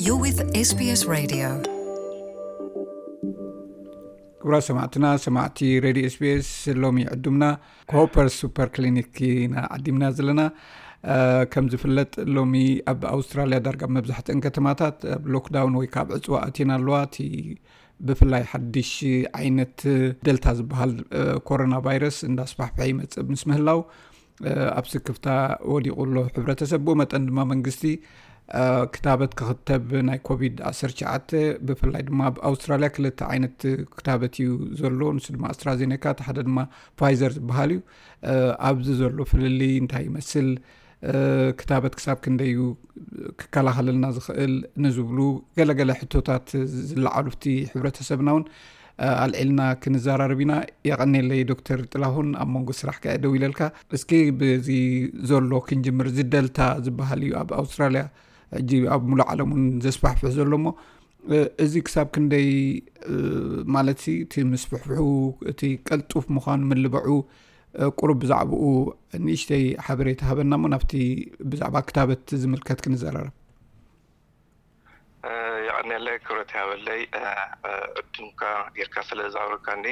You're with S B S Radio. ክቡራት ሰማዕትና፣ ሰማዕቲ ሬድዮ ኤስቢኤስ፣ ሎሚ ዕዱምና ኮፐር ሱፐር ክሊኒክ ኢና ዓዲምና ዘለና። ከም ዝፍለጥ፣ ሎሚ ኣብ ኣውስትራልያ ዳርጋ ኣብ መብዛሕትአን ከተማታት ኣብ ሎክዳውን ወይ ካብ ዕፅዋ ኣትየን ኣለዋ። እቲ ብፍላይ ሓድሽ ዓይነት ደልታ ዝበሃል ኮሮና ቫይረስ እንዳስፋሕፈሐ ይመፅእ ምስ ምህላው፣ ኣብ ስክፍታ ወዲቑ ኣሎ ሕብረተሰብ። ብኡ መጠን ድማ መንግስቲ ክታበት ክኽተብ ናይ ኮቪድ ዓሰርተ ትሽዓተ፣ ብፍላይ ድማ ኣብ ኣውስትራልያ ክልተ ዓይነት ክታበት እዩ ዘሎ። ንሱ ድማ ኣስትራዜኔካ፣ እቲ ሓደ ድማ ፋይዘር ዝበሃል እዩ። ኣብዚ ዘሎ ፍልልይ እንታይ ይመስል፣ ክታበት ክሳብ ክንደይ እዩ ክከላኸለልና ዝኽእል ንዝብሉ ገለገለ ሕቶታት ዝለዓሉ ኣብቲ ሕብረተሰብና እውን ኣልዒልና ክንዘራረብ ኢና። የቐኔለይ ዶክተር ጥላሁን፣ ኣብ መንጎ ስራሕ ከ ደው ኢለልካ። እስኪ ብዚ ዘሎ ክንጅምር። እዚ ደልታ ዝበሃል እዩ ኣብ ኣውስትራልያ ሕጂ ኣብ ሙሉእ ዓለም እውን ዘስፋሕፍሕ ዘሎ እሞ፣ እዚ ክሳብ ክንደይ፣ ማለት እቲ ምስፍሕፍሑ፣ እቲ ቀልጡፍ ምዃኑ ምልበዑ፣ ቁሩብ ብዛዕባኡ ንእሽተይ ሓበሬታ ሃበና እሞ ናብቲ ብዛዕባ ክታበት ዝምልከት ክንዘራረብ። የቐንየለይ፣ ክብረት ይሃበለይ ዕድምካ ጌርካ ስለ ዘቕረብካኒ።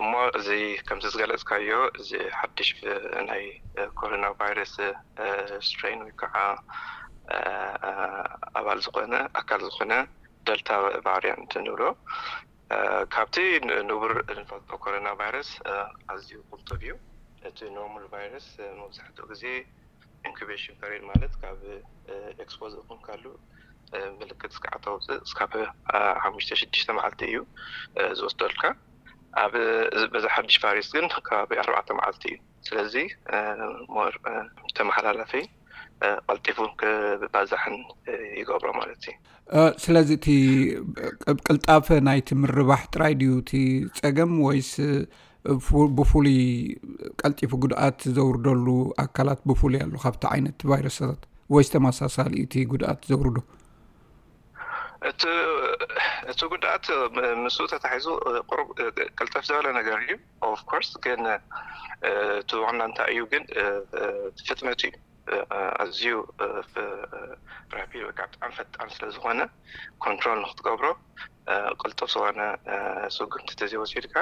እሞ እዚ ከምዚ ዝገለጽካዮ፣ እዚ ሓድሽ ናይ ኮሮና ቫይረስ ስትሬን ወይ ከዓ ኣባል ዝኾነ፣ ኣካል ዝኾነ ደልታ ቫሪያንት ንብሎ፣ ካብቲ ንቡር ንፈልጦ ኮሮና ቫይረስ ኣዝዩ ቁልጡፍ እዩ። እቲ ኖርማል ቫይረስ መብዛሕትኡ ግዜ ኢንኩቤሽን ፔሪድ፣ ማለት ካብ ኤክስፖዝ ይኹን ካሉ ምልክት እስካዕ ተውፅእ እስካብ ሓሙሽተ ሽዱሽተ መዓልቲ እዩ ዝወስደልካ። ኣብ በዚ ሓድሽ ቫይረስ ግን ከባቢ ኣርባዕተ መዓልቲ እዩ። ስለዚ ሞር ተመሓላላፊ፣ ቀልጢፉ ክባዛሕን ይገብሮ ማለት እዩ። ስለዚ እቲ ቅልጣፈ ናይቲ ምርባሕ ጥራይ ድዩ እቲ ፀገም፣ ወይስ ብፉሉይ ቀልጢፉ ጉድኣት ዘውርደሉ ኣካላት ብፉሉይ ኣሎ ካብቲ ዓይነት ቫይረሳት፣ ወይስ ተመሳሳሊ እቲ ጉድኣት ዘውርዶ? እቲ ጉድኣት ምስኡ ተታሒዙ ቁሩብ ቅልጠፍ ዝበለ ነገር እዩ። ኦፍኮርስ ግን እቲ ዋና እንታይ እዩ ግን ፍጥነቱ እዩ። ኣዝዩ ራፒድ ወይ ከዓ ብጣዕሚ ፈጣን ስለ ዝኾነ፣ ኮንትሮል ንክትገብሮ ቅልጡፍ ዝኾነ ስጉምቲ ተዘይወሲድካ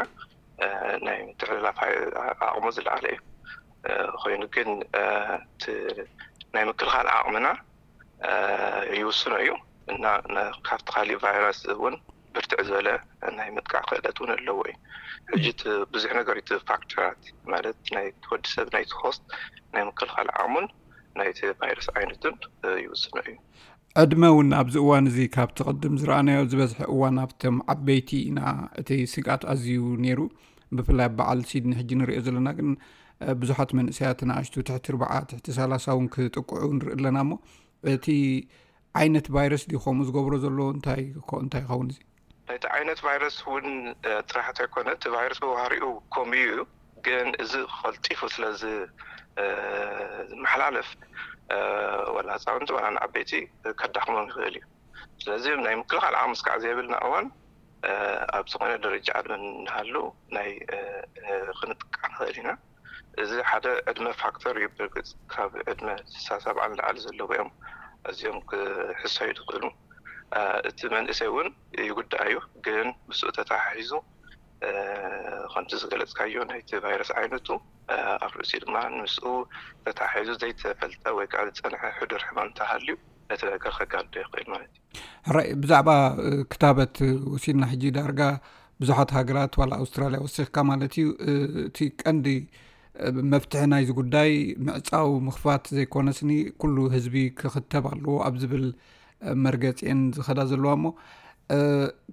ናይ ምትሕልላፍ ዓቕሙ ዝለዓለ እዩ። ኮይኑ ግን ናይ ምክልኻል ዓቕምና ይውስኖ እዩ እና ካብቲ ካሊእ ቫይረስ እውን ብርትዕ ዝበለ ናይ ምጥቃዕ ክእለት እውን ኣለዎ እዩ። ሕጂ ብዙሕ ነገር እቲ ፋክተራት፣ ማለት ናይ ወዲ ሰብ ናይቲ ሆስት ናይ ምክልኻል ዓቕሙን ናይቲ ቫይረስ ዓይነቱን ይውስኖ እዩ። ዕድመ እውን ኣብዚ እዋን እዚ ካብቲ ቅድም ዝረኣናዮ ዝበዝሐ እዋን ኣብቶም ዓበይቲ ኢና እቲ ስግኣት ኣዝዩ ነይሩ። ብፍላይ ኣብ በዓል ሲድኒ ሕጂ ንሪኦ ዘለና ግን ብዙሓት መንእሰያት ንኣሽቱ ትሕቲ ርብዓ ትሕቲ ሰላሳ እውን ክጥቅዑ ንርኢ ኣለና። እሞ እቲ ዓይነት ቫይረስ ድዩ ከምኡ ዝገብሮ ዘሎ? እንታይ እንታይ ይኸውን እዚ? ናይቲ ዓይነት ቫይረስ እውን ጥራሕ እንተይኮነ፣ እቲ ቫይረስ ብባህሪኡ ኮምዩ እዩ። ግን እዚ ቀልጢፉ ስለ ዝመሓላለፍ፣ ወላ ህፃውንቲ ወላ ንዓበይቲ ከዳኽሞም ይኽእል እዩ። ስለዚ ናይ ምክልኻል ዓቕሚ እስካዕ ዘይብልና እዋን ኣብ ዝኾነ ደረጃ ዕድመ እናሃሉ ናይ ክንጥቃዕ ንኽእል ኢና። እዚ ሓደ ዕድመ ፋክተር እዩ። ብርግፅ ካብ ዕድመ ስሳ ሰብዓ ንላዕሊ ዘለዉ እዮም እዚኦም ክሕሰዩ ዝኽእሉ። እቲ መንእሰይ እውን ይጉዳእ እዩ፣ ግን ምስኡ ተተሓሒዙ ከምቲ ዝገለፅካዮ ናይቲ ቫይረስ ዓይነቱ ኣብ ርእሲ ድማ ምስኡ ተተሓሒዙ ዘይተፈልጠ ወይ ከዓ ዝፀንሐ ሕዱር ሕማም እንተሃልዩ ነቲ ነገር ከጋድዶ ይኽእል ማለት እዩ። ሕራይ፣ ብዛዕባ ክታበት ወሲድና ሕጂ ዳርጋ ብዙሓት ሃገራት ዋላ ኣውስትራልያ ወሲኽካ ማለት እዩ፣ እቲ ቀንዲ መፍትሒ ናይዚ ጉዳይ ምዕፃው ምኽፋት ዘይኮነስኒ ኩሉ ህዝቢ ክኽተብ ኣለዎ ኣብ ዝብል መርገፂ እየን ዝኸዳ ዘለዋ። እሞ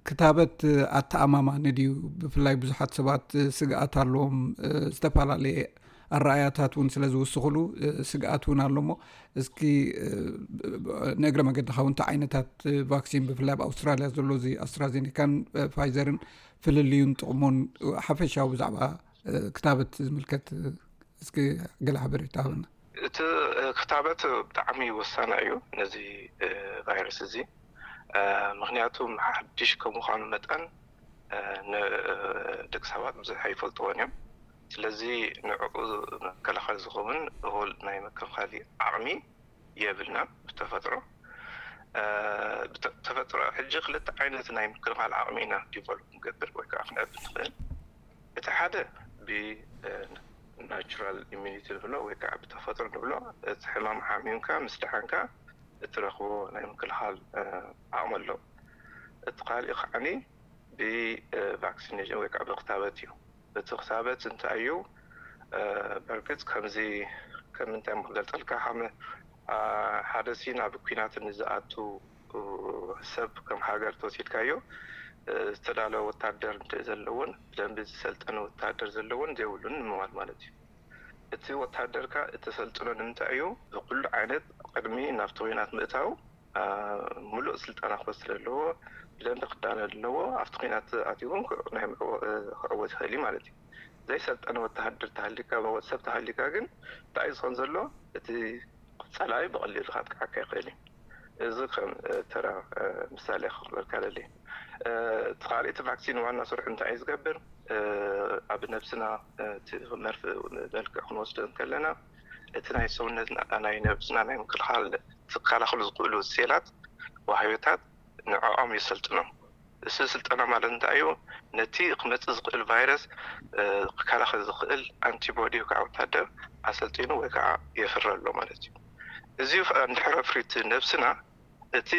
ክታበት ኣተኣማማኒ ድዩ? ብፍላይ ብዙሓት ሰባት ስግኣት ኣለዎም፣ ዝተፈላለየ ኣረኣያታት እውን ስለ ዝውስኽሉ ስግኣት እውን ኣሎ። እሞ እስኪ ንእግረ መገድኻ እውን እንታይ ዓይነታት ቫክሲን ብፍላይ ኣብ ኣውስትራልያ ዘሎ እዚ ኣስትራዜኒካን ፋይዘርን ፍልልዩን ጥቕሙን ሓፈሻዊ ብዛዕባ ክታበት ዝምልከት እስኪ ገለ ሓበሬታ ሃበና። እቲ ክታበት ብጣዕሚ ወሳኒ እዩ ነዚ ቫይረስ እዚ። ምክንያቱ ሓድሽ ከም ምዃኑ መጠን ንደቂ ሰባት ብዙሕ ኣይፈልጥዎን እዮም። ስለዚ ንዕኡ መከላኸሊ ዝኸውን እኹል ናይ መከላኸሊ ዓቕሚ የብልና ብተፈጥሮ። ተፈጥሮ ሕጂ ክልተ ዓይነት ናይ ምክልኻል ዓቕሚ ኢና ዲቨሎፕ ንገብር ወይ ከዓ ክነዕብ ንኽእል። እቲ ሓደ ብናቹራል ኢሚኒቲ ንብሎ ወይ ከዓ ብተፈጥሮ ንብሎ፣ እቲ ሕማም ሓሚምካ ምስ ደሓንካ እትረኽቦ ናይ ምክልኻል ዓቕሚ ኣሎ። እቲ ካልእ ከዓኒ ብቫክሲኔሽን ወይ ከዓ ብክታበት እዩ። እቲ ክታበት እንታይ እዩ? በርግፅ ከምዚ ከም እንታይ ክገልፀልካ፣ ከም ሓደ ሲ ናብ ኩናት ንዝኣቱ ሰብ ከም ሃገር ተወሲድካዮ ዝተዳለወ ወታደር ዘለዎን ብደንቢ ዝሰልጠነ ወታደር ዘለዎን ዘይብሉን ንምባል ማለት እዩ። እቲ ወታደርካ እተሰልጥኖ ንምንታይ እዩ? ብኩሉ ዓይነት ቅድሚ ናብቲ ኩናት ምእታው ሙሉእ ስልጠና ክወስድ ኣለዎ። ብደንቢ ክዳነ ኣለዎ። ኣብቲ ኩናት ኣትዩ እውን ክዕወት ይኽእል እዩ ማለት እዩ። ዘይሰልጠነ ወተሃደር ተሃሊካ፣ ሰብ ተሃሊካ ግን እንታይ እዩ ዝኸውን ዘሎ? እቲ ፀላኢ ብቐሊሉ ከጥቅዓካ ይኽእል እዩ። እዚ ከም ተራ ምሳሌ ክኽበልካ ደሊ። እቲ ካልእ እቲ ቫክሲን ዋና ስርሑ እንታይ እዩ ዝገብር? ኣብ ነብስና እቲ መርፍ መልክዕ ክንወስዶ እንከለና እቲ ናይ ሰውነትና ናይ ነብስና ናይ ምክልኻል ዝከላኸሉ ዝኽእሉ ሴላት ዋህዮታት ንዕኦም የሰልጥኖም። እዚ ስልጠና ማለት እንታይ እዩ? ነቲ ክመፅእ ዝኽእል ቫይረስ ክከላኸል ዝኽእል ኣንቲቦዲ ወይ ከዓ ወታደር ኣሰልጢኑ ወይ ከዓ የፍሪ ኣሎ ማለት እዩ። እዚ እንድሕር ኣፍርዩ ነብስና እቲ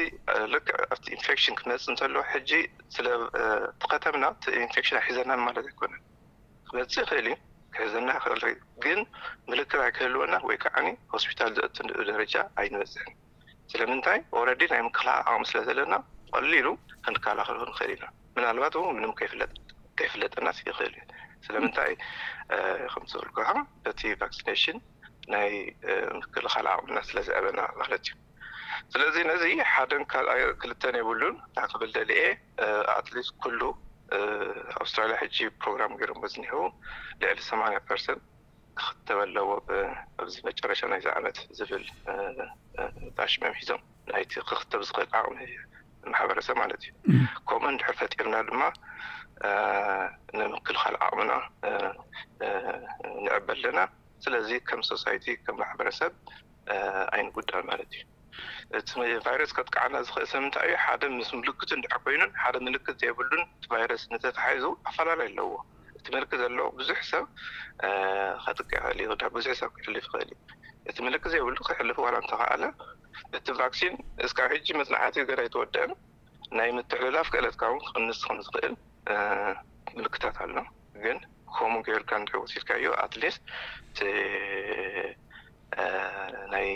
ልክዕ ኣብቲ ኢንፌክሽን ክመፅእ እንተሎ ሕጂ ስለ ተኸተምና እቲ ኢንፌክሽን ኣይሕዘናን ማለት ኣይኮነን። ክመፅእ ይኽእል እዩ፣ ክሕዘና ይኽእል፣ ግን ምልክት ኣይክህልወና ወይ ከዓ ሆስፒታል ዘእቱ ደረጃ ኣይንበፅሕን። ስለምንታይ? ኦረዲ ናይ ምክልኻል ዓቕሚ ስለ ዘለና ቀሊሉ ክንከላኸሎ ንኽእል ኢና። ምናልባት እውን ምንም ከይፍለጥ ከይፍለጠና ይኽእል እዩ። ስለምንታይ? ከምቲ ዝበልኩኻ በቲ ቫክሲኔሽን ናይ ምክልኻል ዓቕምና ስለ ዘዕበና ማለት እዩ። ስለዚ ነዚ ሓደን ካልኣይ ክልተን የብሉን። እንታይ ክብል ደልየ፣ ኣትሊስት ኩሉ ኣውስትራልያ ሕጂ ፕሮግራም ገይሮም ዝኒሄው ልዕሊ ሰማንያ ፐርሰንት ክኽተብ ኣለዎ ኣብዚ መጨረሻ ናይዚ ዓመት ዝብል ጣሽመም ሒዞም ናይቲ ክኽተብ ዝኽእል ዓቕሚ ማሕበረሰብ ማለት እዩ። ከምኡ እንድሕር ፈጢርና ድማ ንምክልኻል ዓቕምና ንዕበ ኣለና። ስለዚ ከም ሶሳይቲ ከም ማሕበረሰብ ኣይንጉዳል ማለት እዩ። እቲ ቫይረስ ከጥቃዓና ዝኽእል ስለምንታይ እዩ? ሓደ ምስ ምልክቱ እንድሕር ኮይኑን ሓደ ምልክት ዘይብሉን እቲ ቫይረስ እንተተሓይዙ ኣፈላለይ ኣለዎ። እቲ ምልክት ዘለዎ ብዙሕ ሰብ ከጥቅዕ ይኽእል እዩ፣ ብዙሕ ሰብ ክሕልፍ ይኽእል እዩ። እቲ ምልክት ዘይብሉ ክሕልፍ ዋላ እንተኸኣለ እቲ ቫክሲን እስካብ ሕጂ መፅናዕቲ ገና ኣይተወደአን። ናይ ምትሕልላፍ ክእለትካ እውን ክቕንስ ከም ዝኽእል ምልክታት ኣሎ። ግን ከምኡ ገይርካ እንድሕር ወሲድካዮ ኣትሊስት ናይ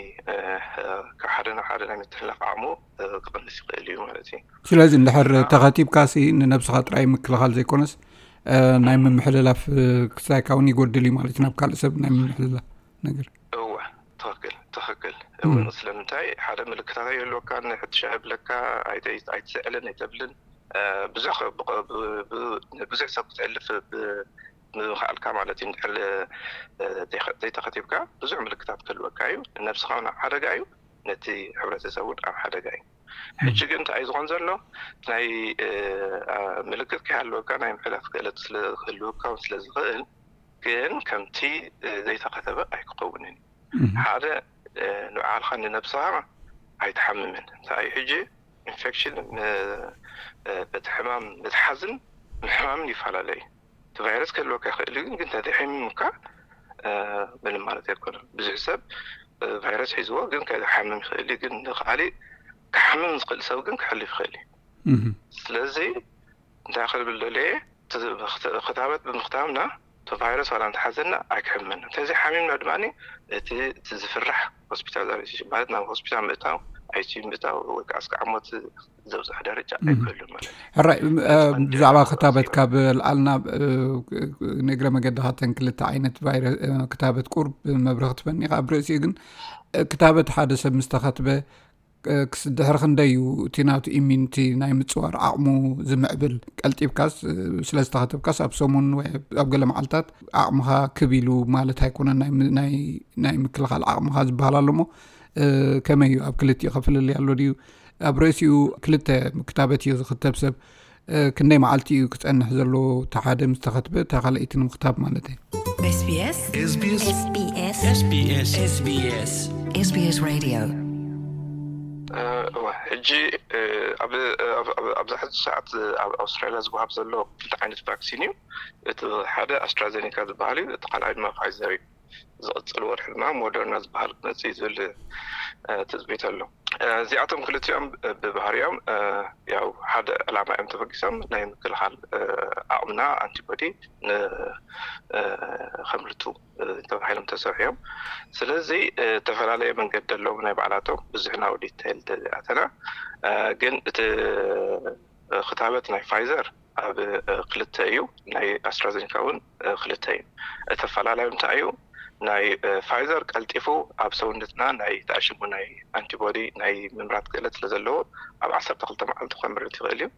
ካብ ሓደ ናብ ሓደ ናይ ምትሕልላፍ ዓቕሙ ክቕንስ ይኽእል እዩ ማለት እዩ። ስለዚ እንድሕር ተኸቲብካ ሲ ንነብስኻ ጥራይ ምክልኻል ዘይኮነስ ናይ ምምሕልላፍ ክስታይካ እውን ይጎድል እዩ ማለት እዩ፣ ናብ ካልእ ሰብ ናይ ምምሕልላፍ ነገር። እወ፣ ትኽክል ትኽክል። እወ፣ ስለምንታይ ሓደ ምልክታት ኣይህልወካን፣ ሕትሻ ይብለካ፣ ኣይትስዕልን ኣይተብልን፣ ብዙሕ ብዙሕ ሰብ ክትሕልፍ ምኽኣልካ ማለት እዩ። እንድሕር ዘይተኸቲብካ ብዙሕ ምልክታት ክህልወካ እዩ። ንነብስኻ እውን ኣብ ሓደጋ እዩ፣ ነቲ ሕብረተሰብ እውን ኣብ ሓደጋ እዩ። ሕጂ ግን እንታይ እዩ ዝኾን ዘሎ? ናይ ምልክት ከይሃለወካ ናይ ምሕላፍ ክእለት ክህልወካ ስለ ዝኽእል ግን ከምቲ ዘይተኸተበ ኣይክኸውንን። ሓደ ንባዕልኻ ንነብስኻ ኣይትሓምምን። እንታይ ሕጂ ኢንፌክሽን በቲ ሕማም ምትሓዝን ምሕማምን ይፈላለዩ። እቲ ቫይረስ ክህልወካ ይኽእል እዩ፣ ግን እንተዘይሓሚምካ ምንም ማለት ኣይኮነን። ብዙሕ ሰብ ቫይረስ ሒዝዎ ግን ከይሓምም ይኽእል እዩ፣ ግን ንካሊእ ክሓምም ዝኽእል ሰብ ግን ክሕልፍ ይኽእል እዩ። ስለዚ እንታይ ክብል ደልየ፣ ክታበት ብምክታብና እቲ ቫይረስ ዋላ እንተሓዘና ኣይክሕምመና። እንተዘይሓሚምና ድማ እቲ ዝፍራሕ ሆስፒታል ማለት ናብ ሆስፒታል ምእታው፣ ኣይሲዩ ምእታው ወይ ከዓ እስካዕ ሞት ዘብፅሕ ደረጃ ኣይክህሉን ማለት እዩ። ሕራይ፣ ብዛዕባ ክታበት ካብ ልኣልና ንእግረ መገድኻ እተን ክልተ ዓይነት ክታበት ቁርብ መብርህ ክትበኒ ኢኻ። ኣብ ርእሲኡ ግን ክታበት ሓደ ሰብ ምስ ተኸትበ ድሕሪ ክንደይ እዩ እቲ ናቱ ኢሚኒቲ ናይ ምፅዋር ዓቕሙ ዝምዕብል? ቀልጢፍካስ ስለ ዝተኸተብካስ ኣብ ሰሙን ወይ ኣብ ገለ መዓልታት ዓቕምኻ ክብ ኢሉ ማለት ኣይኮነን፣ ናይ ምክልኻል ዓቕምኻ ዝበሃል ኣሎ እሞ ከመይ እዩ? ኣብ ክልቲኡ ከፍልልይ ኣሎ ድዩ? ኣብ ርእሲኡ ክልተ ክታበት እዩ ዝኽተብ ሰብ። ክንደይ መዓልቲ እዩ ክፀንሕ ዘለዎ? እቲ ሓደ ምስ ተኸትበ እታ ካልኣይቲ ንምኽታብ ማለት እዩ። SBS SBS SBS SBS SBS Radio። እወ፣ ሕጂ ሕጂ ኣብ ኣብዚ ሕዚ ሰዓት ኣብ ኣውስትራሊያ ዝወሃብ ዘሎ ክልተ ዓይነት ቫክሲን እዩ። እቲ ሓደ ኣስትራዜኒካ ዝበሃል እዩ፣ እቲ ካልኣይ ድማ ፋይዘር እዩ። ዝቕፅል ወርሒ ድማ ሞደርና ዝበሃል ክመፅእ እዩ ዝብል ትፅቢት ኣሎ። እዚኣቶም ክልቲኦም ብባህሪኦም ያው ሓደ ዕላማ እዮም ተበጊሶም፣ ናይ ምክልኻል ዓቕምና፣ ኣንቲቦዲ፣ ከምልቱ ተባሂሎም ተሰርሑ እዮም። ስለዚ ዝተፈላለየ መንገዲ ኣለዎም ናይ ባዕላቶም። ብዙሕ ናብ ዲቴይል ተዘይኣተና፣ ግን እቲ ክታበት ናይ ፋይዘር ኣብ ክልተ እዩ፣ ናይ ኣስትራዜኒካ እውን ክልተ እዩ። እቲ ኣፈላላዩ እንታይ እዩ? ናይ ፋይዘር ቀልጢፉ ኣብ ሰውነትና ናይ ተኣሽሙ ናይ ኣንቲቦዲ ናይ ምምራት ክእለት ስለ ዘለዎ ኣብ ዓሰርተ ክልተ መዓልቲ ከምርት ይኽእል እዩ።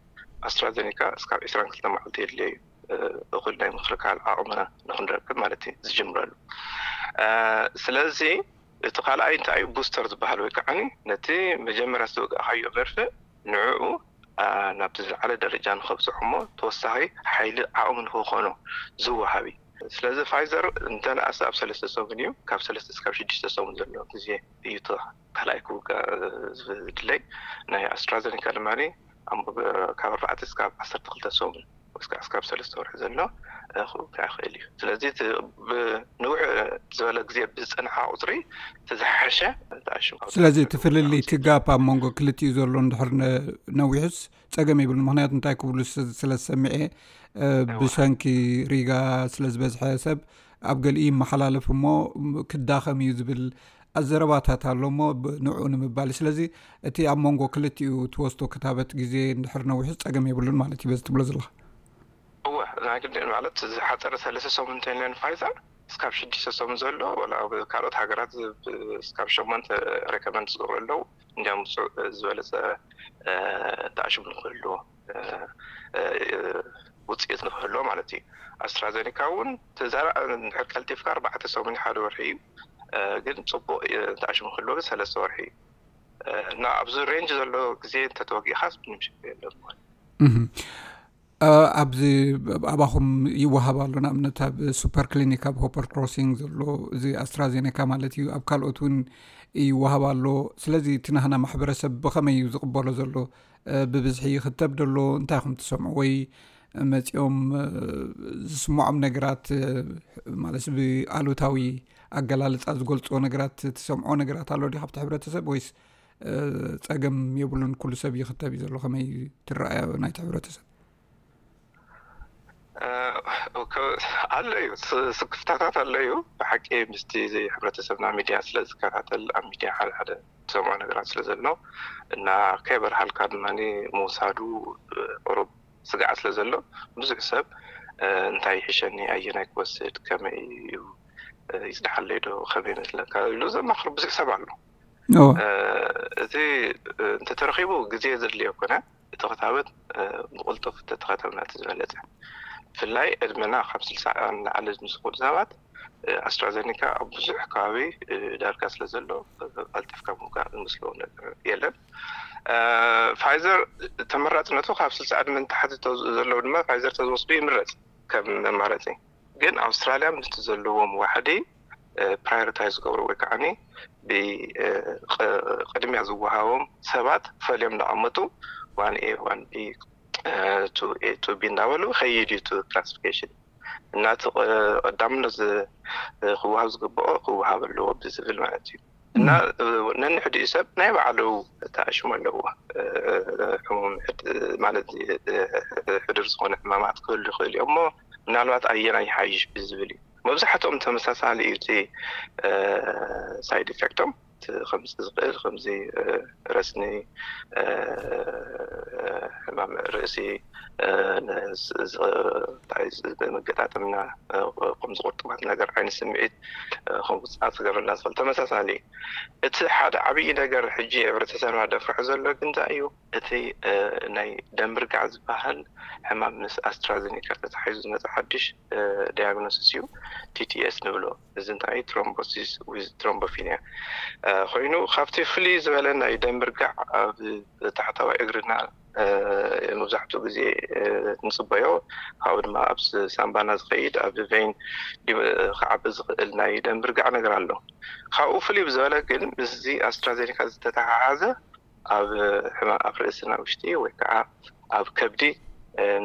ኣስትራዜኒካ እስካብ ዕስራን ክልተ መዓልቲ የድልዮ እዩ፣ እኹል ናይ ምክልካል ዓቕምና ንክንረክብ ማለት እዩ ዝጅምረሉ። ስለዚ እቲ ካልኣይ እንታይ እዩ? ቡስተር ዝበሃል ወይ ከዓ ነቲ መጀመርያ ዝተወጋእካዮ መርፍእ ንዕኡ ናብቲ ዝለዓለ ደረጃ ንኸብፅሑ እሞ ተወሳኺ ሓይሊ ዓቕሚ ንክኾኖ ዝወሃብ እዩ። ስለዚ ፋይዘር እንተነኣሰ ኣብ ሰለስተ ሰሙን እዩ፣ ካብ ሰለስተ እስካብ ሽዱሽተ ሰሙን ዘሎ ግዜ እዩ እቲ ካልኣይ ክውጋእ ዝድለይ። ናይ ኣስትራዘኒካ ድማ ካብ ኣርባዕተ እስካብ ዓሰርተ ክልተ ሰሙን ወይ እስካብ ሰለስተ ወርሒ ዘሎ ክውጋእ ይኽእል እዩ። ስለዚ ንውሕ ዝበለ ግዜ ብዝፀንሓ ቁፅሪ እቲ ዝሓሸ ተኣሽሙ። ስለዚ እቲ ፍልልይ፣ እቲ ጋፕ ኣብ መንጎ ክልቲኡ ዘሎ እንድሕር ነዊሑስ ፀገም የብሉን። ምክንያቱ እንታይ ክብሉ ስለ ዝሰሚዐ፣ ብሰንኪ ሪጋ ስለ ዝበዝሐ ሰብ ኣብ ገሊኡ ይመሓላለፍ እሞ ክዳኸም እዩ ዝብል ኣዘረባታት ኣሎ እሞ ንዕኡ ንምባል። ስለዚ እቲ ኣብ መንጎ ክልቲኡ ትወስዶ ክታበት ግዜ እንድሕር ነዊሑስ ፀገም የብሉን ማለት እዩ በዚ ትብሎ ዘለኻ? እወ፣ ናይ ግድን ማለት ዝሓፀረ ሰለስተ ሰሙን እንተይለን ፋይዘር እስካብ ሽዱሽተ ሰሙን ዘሎ፣ ወላ ኣብ ካልኦት ሃገራት እስካብ ሸሞንተ ሬኮመንድ ዝገብሩ ኣለዉ። እንዲያም ዝበለፀ ተኣሽሙ ንክህልዎ፣ ውፅኢት ንክህልዎ ማለት እዩ። ኣስትራዘኒካ እውን ተዛራ እንድሕር ቀልጢፍካ ኣርባዕተ ሰሙን ሓደ ወርሒ እዩ። ግን ፅቡቅ ተኣሽሙ ክህልዎ ግን ሰለስተ ወርሒ እዩ። እና ኣብዚ ሬንጅ ዘሎ ግዜ እንተተወጊእካ ምንም ሽግር የለን ማለት እዩ። ኣብዚ ኣባኹም ይወሃብ ኣሎ፣ ንኣብነት ኣብ ሱፐር ክሊኒክ ኣብ ሆፐር ክሮሲንግ ዘሎ እዚ ኣስትራዜኔካ ማለት እዩ፣ ኣብ ካልኦት እውን ይወሃብ ኣሎ። ስለዚ እቲ ናህና ማሕበረሰብ ብኸመይ እዩ ዝቕበሎ ዘሎ? ብብዝሒ ይኽተብ ደሎ? እንታይ ኢኹም ትሰምዑ? ወይ መፂኦም ዝስምዖም ነገራት ማለት ብኣሉታዊ ኣገላልፃ ዝገልፅዎ ነገራት ትሰምዖ ነገራት ኣሎ ድዩ ካብቲ ሕብረተሰብ ወይስ ፀገም የብሉን፣ ኩሉ ሰብ ይኽተብ እዩ ዘሎ? ከመይ ትረኣያ ናይቲ ሕብረተሰብ? ኣሎ እዩ፣ ስክፍታታት ኣሎ እዩ። ብሓቂ ምስቲ ሕብረተሰብና ሚድያ ስለ ዝከታተል ኣብ ሚድያ ሓደ ሓደ ትሰምዖ ነገራት ስለ ዘሎ እና ከይበርሃልካ ድማ ምውሳዱ ቁሩብ ስግዓት ስለ ዘሎ ብዙሕ ሰብ እንታይ ይሕሸኒ፣ ኣየናይ ክወስድ፣ ከመይ እዩ ይፅናሓለይ ዶ፣ ከመይ ይመስለካ ኢሉ ዘማኽር ብዙሕ ሰብ ኣሎ። እቲ እንተተረኺቡ ግዜ ዘድልዮ ኮነ እቲ ክታበት ብቕልጡፍ ተተኸተብና እቲ ዝበለፀ። ብፍላይ ዕድመና ካብ ስልሳ ንላዕሊ ዝምስኩሉ ሰባት ኣስትራዘኒካ ኣብ ብዙሕ ከባቢ ዳርጋ ስለ ዘሎ ቀልጢፍካ ምውጋእ ዝመስሎ ነገር የለን። ፋይዘር ተመራፅነቱ ካብ ስልሳ ዕድመ ንታሕቲ ዘለዉ ድማ ፋይዘር ተዝወስዱ ይምረፅ ከም መማረፂ። ግን ኣውስትራልያ ምስቲ ዘለዎም ዋሕዲ ፕራዮሪታይዝ ዝገብሩ ወይ ከዓ ብቅድሚያ ዝወሃቦም ሰባት ፈልዮም እናቐመጡ ዋን ኤ ዋን ቢ ቱ ኤ ቱ ቢ እንዳበሉ ከይድ እዩ እቲ ክላሲፊኬሽን። እና እቲ ቀዳምነት ክወሃብ ዝግብኦ ክወሃብ ኣለዎ ብዝብል ማለት እዩ። እና ነንሕድኡ ሰብ ናይ ባዕሉ ተኣሽሙ ኣለዎ። ሕሙም ማለት ሕዱር ዝኾነ ሕማማት ክህሉ ይኽእል እዩ እሞ ምናልባት ኣየናይ ይሓይሽ ብዝብል እዩ። መብዛሕትኦም ተመሳሳሊ እዩ። እቲ ሳይድ ኢፌክቶም ከምፅእ ዝኽእል ከምዚ ረስኒ፣ ሕማም ርእሲ፣ መገጣጠምና ከምዚ ቁርጥማት ነገር ዓይነት ስምዒት ከምውፃእ ክገብረና ዝኽእል ተመሳሳሊ። እቲ ሓደ ዓብዪ ነገር ሕጂ ሕብረተሰብና ደፍርሑ ዘሎ ግን እንታይ እዩ? እቲ ናይ ደም ርጋዕ ዝበሃል ሕማም ምስ ኣስትራዘኒካ ተታሒዙ ዝመፀ ሓድሽ ዲያግኖሲስ እዩ፣ ቲቲኤስ ንብሎ። እዚ እንታይ ትሮምቦሲስ ዊዝ ትሮምቦፊኒያ ኮይኑ ካብቲ ፍልይ ዝበለ ናይ ደም ርጋዕ ኣብ ታሕታዋይ እግርና መብዛሕትኡ ግዜ ንፅበዮ፣ ካብኡ ድማ ኣብ ሳምባና ዝኸይድ ኣብ ቬይን ክዓቢ ዝኽእል ናይ ደም ርጋዕ ነገር ኣሎ። ካብኡ ፍልይ ብዝበለ ግን ምስዚ ኣስትራዜኒካ ዝተተሓሓዘ ኣብ ሕማም ኣብ ርእስና ውሽጢ ወይ ከዓ ኣብ ከብዲ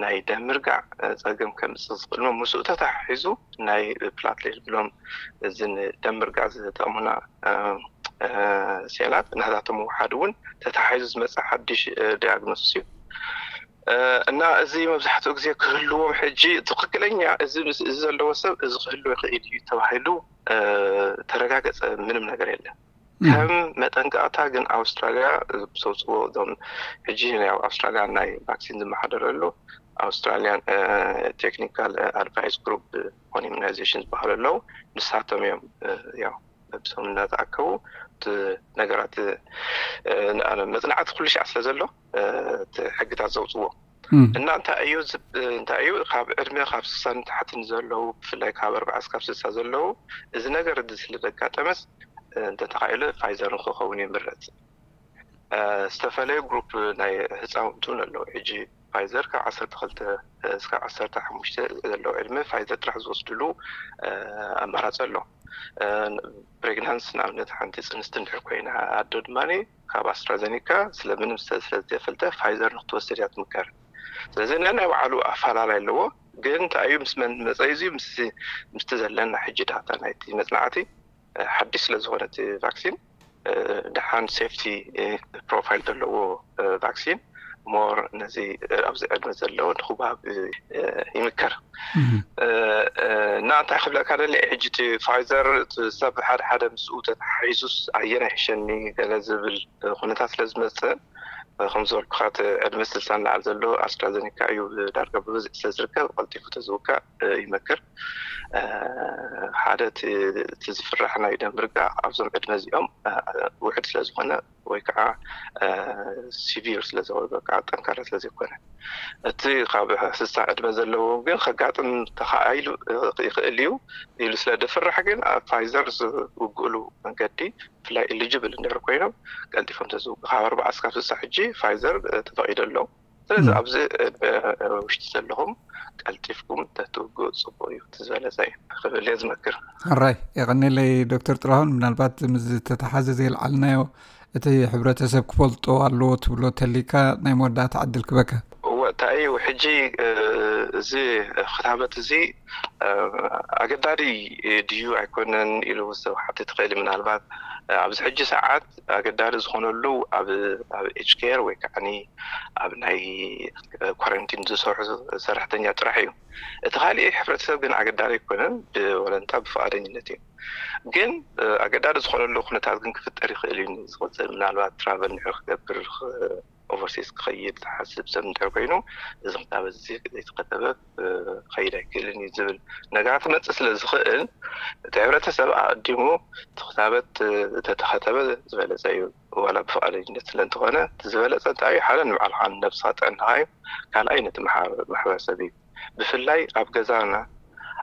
ናይ ደም ምርጋዕ ፀገም ከምፅእ ዝኽእል ነው። ምስኡ ተተሓሒዙ ናይ ፕላትሌት ብሎም እዚ ንደም ምርጋዕ ዝጠቕሙና ሴላት ናታቶም ምውሓድ እውን ተተሓሒዙ ዝመፅእ ሓድሽ ዲያግኖሲስ እዩ። እና እዚ መብዛሕትኡ ግዜ ክህልዎም ሕጂ ትኽክለኛ እዚ ምስ- እዚ ዘለዎ ሰብ እዚ ክህልዎ ይኽእል እዩ ተባሂሉ ተረጋገፀ ምንም ነገር የለን። ከም መጠንቀቕታ ግን ኣውስትራልያ ብሰውፅዎ እዞም ሕጂ ናይ ኣውስትራልያ ናይ ቫክሲን ዝመሓደረሉ ኣውስትራልያን ቴክኒካል ኣድቫይስ ግሩፕ ኦን ኢሚናይዜሽን ዝበሃሉ ኣለዉ። ንሳቶም እዮም ያው ብሰም እናተኣከቡ እቲ ነገራት መፅናዕቲ ኩሉ ሻዕ ስለ ዘሎ እቲ ሕግታት ዘውፅዎ እና እንታይ እዩ እንታይ እዩ ካብ ዕድመ ካብ ስሳ ንታሕቲ ንዘለዉ ብፍላይ ካብ ኣርባዓ እስካብ ስሳ ዘለዉ እዚ ነገር እዚ ስለ ዘጋጠመስ እንተተኻኢሉ ፋይዘር ንክኸውን ይምረፅ። ዝተፈለዩ ግሩፕ ናይ ህፃውንቲ እውን ኣለዉ። ሕጂ ፋይዘር ካብ ዓሰርተ ክልተ እስካብ ዓሰርተ ሓሙሽተ ዘለዉ ዕድመ ፋይዘር ጥራሕ ዝወስድሉ ኣማራፂ ኣሎ። ፕሬግናንስ ንኣብነት ሓንቲ ፅንስቲ እንድሕር ኮይና ኣዶ ድማ ካብ ኣስትራዘኒካ ስለምንም ስለዘይፈልጠ ፋይዘር ንክትወስድ እያ ትምከር። ስለዚ ናይ ባዕሉ ኣፈላላይ ኣለዎ። ግን እንታይ እዩ ምስ መን መፀ እዚ ምስቲ ዘለና ሕጂ ዳታ ናይቲ መፅናዕቲ ሓድሽ ስለዝኾነ እቲ ቫክሲን ደሓን ሴፍቲ ፕሮፋይል ዘለዎ ቫክሲን ሞር ነዚ ኣብዚ ዕድመ ዘለዎ ንክባብ ይምከር። እና እንታይ ክብለካ ደሊ ሕጂ እቲ ፋይዘር ሰብ ሓደ ሓደ ምስኡ ተተሓሒዙስ ኣየናይ ሕሸኒ ገለ ዝብል ኩነታት ስለ ዝመፅእ ከም ዝበልኩካ እቲ ዕድመ ስልሳ ንላዕሊ ዘሎ ኣስትራዘኒካ እዩ ዳርጋ ብብዝሒ ስለ ዝርከብ ቀልጢፉ ተዝውካእ ይመክር። ሓደ እቲ ዝፍራሕ ናይ ደም ርጋ ኣብዞም ዕድመ እዚኦም ውሕድ ስለ ዝኾነ ወይ ከዓ ሲቪር ስለ ዝኸውን ከዓ ጠንካራ ስለ ዘይኮነ እቲ ካብ ስሳ ዕድመ ዘለዎ ግን ከጋጥም ተኻኢሉ ይኽእል እዩ ኢሉ ስለ ድፍራሕ ግን ኣብ ፋይዘር ዝውግእሉ መንገዲ ብፍላይ ኢሊጅብል እንድሕር ኮይኖም ቀልጢፎም ተዝውግ ካብ ኣርባዓ እስካብ ስሳ ሕጂ ፋይዘር ተፈቒዱ ኣሎ። ስለዚ ኣብዚ ውሽጢ ዘለኹም ቀልጢፍኩም ተትውግኡ ፅቡቅ እዩ እቲ ዝበለፀ እዩ ክብል እየ ዝመክር። ሕራይ የቐኔለይ ዶክተር ጥላሁን። ምናልባት ምስ ዝተተሓዘ ዘየልዓልናዮ እቲ ሕብረተሰብ ክፈልጦ ኣለዎ ትብሎ ተሊካ ናይ መወዳእታ ዕድል ክበካ። እወ እንታይ እዩ ሕጂ እዚ ክታበት እዚ ኣገዳዲ ድዩ ኣይኮነን ኢሉ ሰብ ሓቲ ትኽእል ምናልባት ኣብዚ ሕጂ ሰዓት ኣገዳዲ ዝኾነሉ ኣብ ኣብ ኤጅ ኬር ወይ ከዓ ኣብ ናይ ኳረንቲን ዝሰርሑ ሰራሕተኛ ጥራሕ እዩ። እቲ ካሊእ ሕብረተሰብ ግን ኣገዳዲ ኣይኮነን፣ ብወለንታ ብፍቓደኝነት እዩ። ግን ኣገዳዲ ዝኾነሉ ኩነታት ግን ክፍጠር ይኽእል እዩ። ዝቕፅል ምናልባት ትራቨል ንድሕር ክገብር ኦቨርሲስ ክኸይድ ዝሓስብ ሰብ እንድሕር ኮይኑ እዚ ክታበት እዚ ዘይተኸተበ ክኸይድ ኣይክእልን እዩ ዝብል ነገራት ክመፅእ ስለ ዝኽእል እቲ ሕብረተሰብ ኣቐዲሙ እቲ ክታበት ተተኸተበ ዝበለፀ እዩ። ዋላ ብፍቓደኝነት ስለ እንተኾነ እቲ ዝበለፀ እንታይ እዩ ሓደ ንባዕልኻ ንነብስኻ ጥዕናኻ እዩ። ካልኣይ ነቲ ማሕበረሰብ እዩ። ብፍላይ ኣብ ገዛና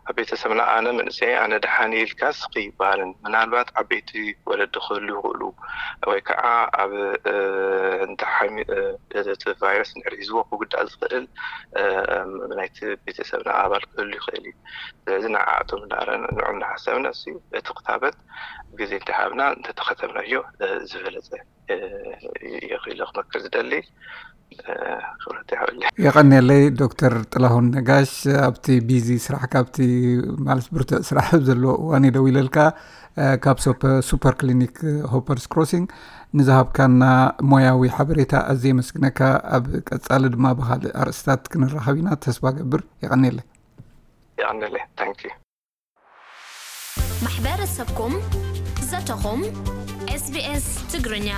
ኣብ ቤተሰብና ኣነ መንእሰይ ኣነ ደሓን ኢልካ ስኺ ይበሃልን ምናልባት ዓበይቲ ወለዲ ክህሉ ይኽእሉ ወይ ከዓ ኣብ እንተሓሚ እቲ ቫይረስ ንድሕር ሒዝዎ ክጉዳእ ዝኽእል ናይቲ ቤተሰብና ኣባል ክህሉ ይኽእል እዩ። ስለዚ ንዓኣቶም እንዳረና ንዑ እንዳሓሰብና እቲ ክታበት ግዜ እንተሃብና እንተተኸተብናዮ ዝበለፀ የኽኢለ ክመክር ዝደሊ። ክብረት ይሃበለይ። የቐንየለይ ዶክተር ጥላሁን ነጋሽ፣ ኣብቲ ቢዚ ስራሕ ካብቲ ማለት ብርቱዕ ስራሕ ኣብ ዘለዎ እዋን እዩ ደዊለልካ። ካብ ሱፐር ክሊኒክ ሆፐርስ ክሮሲንግ ንዝሃብካና ሞያዊ ሓበሬታ ኣዝየ የመስግነካ። ኣብ ቀጻሊ ድማ ብኻልእ ኣርእስታት ክንራኸብ ኢና ተስፋ ገብር። የቐንየለይ። የቐንየለይ። ታንኪ። ማሕበረሰብኩም ዘተኹም። ኤስቢኤስ ትግርኛ።